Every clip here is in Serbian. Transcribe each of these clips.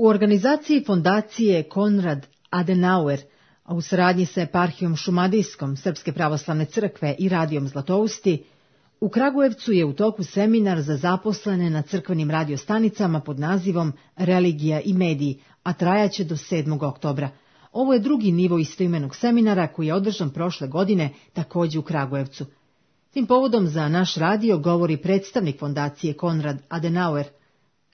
U organizaciji fondacije Konrad Adenauer, a u saradnji sa eparhijom Šumadijskom Srpske pravoslavne crkve i radijom Zlatousti, u Kragujevcu je u toku seminar za zaposlene na crkvenim radiostanicama pod nazivom Religija i mediji, a trajaće do 7. oktobra. Ovo je drugi nivo istoimenog seminara koji je održan prošle godine takođe u Kragujevcu. Tim povodom za naš radio govori predstavnik fondacije Konrad Adenauer,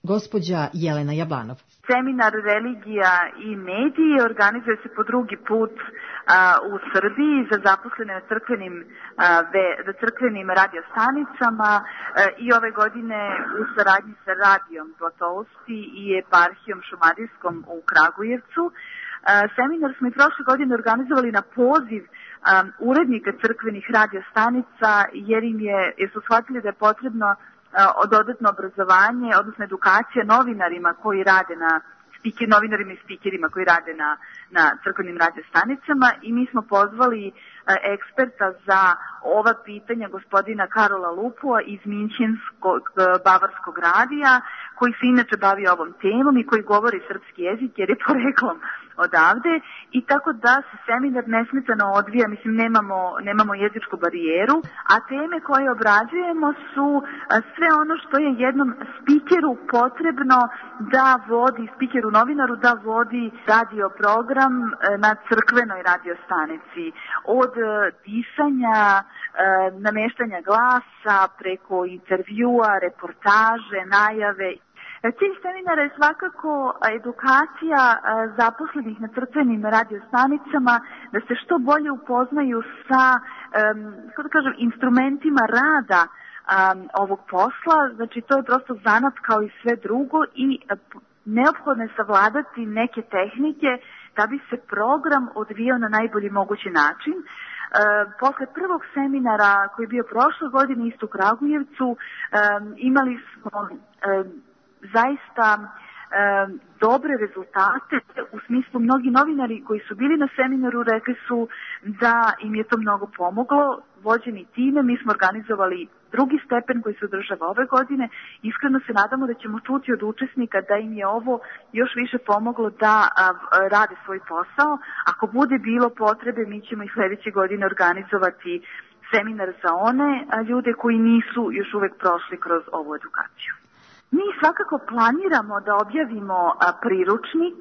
gospođa Jelena Jablanov. Seminar Religija i mediji organizuje se po drugi put u Srbiji za zaposlene na crkvenim radiostanicama i ove godine u saradnji sa radijom Zlatousti i eparhijom Šumadijskom u Kragujevcu. Seminar smo i prošle godine organizovali na poziv urednika crkvenih radiostanica jer su shvatili da je potrebno dodatno obrazovanje, odnosno edukacija novinarima koji rade novinarima i spikerima koji rade na crkvenim radiostanicama i mi smo pozvali eksperta za ova pitanja gospodina Karola Lupua iz Minčinskog bavarskog radija, koji se inače bavi ovom temom i koji govori srpski jezik jer je poreklom odavde i tako da se seminar nesmetano odvija, nemamo jezičku barijeru, a teme koje obrađujemo su sve ono što je jednom spikeru potrebno da vodi, spikeru novinaru da vodi radio program na crkvenoj radiostanici. Od disanja, nameštanja glasa, preko intervjua, reportaže, najave. Cilj seminara je svakako edukacija zaposlenih na crkvenim radiostanicama da se što bolje upoznaju sa instrumentima rada ovog posla. Znači to je prosto zanat kao i sve drugo i neophodno je savladati neke tehnike da bi se program odvijao na najbolji mogući način. Posle prvog seminara koji je bio prošle godine isto u Kragujevcu imali smo zaista dobre rezultate, u smislu mnogi novinari koji su bili na seminaru rekli su da im je to mnogo pomoglo, vođeni time. Mi smo organizovali drugi stepen koji se održava ove godine. Iskreno se nadamo da ćemo čuti od učesnika da im je ovo još više pomoglo da rade svoj posao. Ako bude bilo potrebe, mi ćemo i sledeće godine organizovati seminar za one ljude koji nisu još uvek prošli kroz ovu edukaciju. Mi svakako planiramo da objavimo priručnik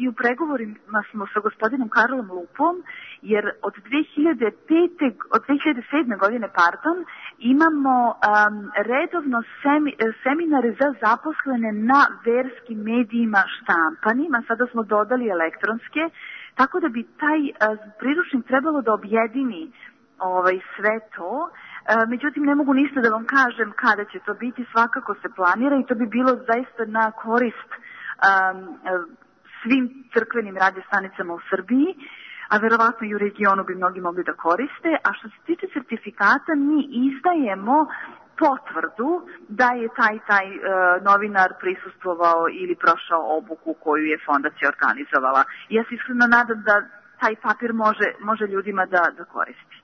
i u pregovorima smo sa gospodinom Karolom Lupom, jer od 2007. godine imamo redovno seminare za zaposlene na verskim medijima štampanima, sada smo dodali elektronske, tako da bi taj priručnik trebalo da objedini sve to. Međutim, ne mogu ništa da vam kažem kada će to biti, svakako se planira i to bi bilo zaista na korist svim crkvenim radiostanicama u Srbiji, a verovatno i u regionu bi mnogi mogli da koriste. A što se tiče sertifikata, mi izdajemo potvrdu da je taj novinar prisustvovao ili prošao obuku koju je fondacija organizovala. Ja se iskreno nadam da taj papir može ljudima da koristi.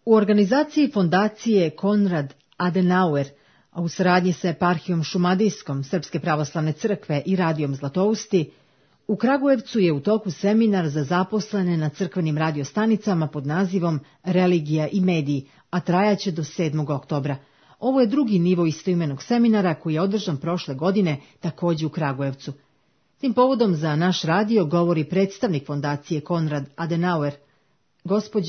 U organizaciji fondacije Konrad Adenauer, a u saradnji sa eparhijom Šumadijskom Srpske pravoslavne crkve i radijom Zlatousti, u Kragujevcu je u toku seminar za zaposlene na crkvenim radiostanicama pod nazivom Religija i mediji, a trajaće do 7. oktobra. Ovo je drugi nivo istoimenog seminara koji je održan prošle godine takođe u Kragujevcu. Tim povodom za naš radio govori predstavnik fondacije Konrad Adenauer, gospođa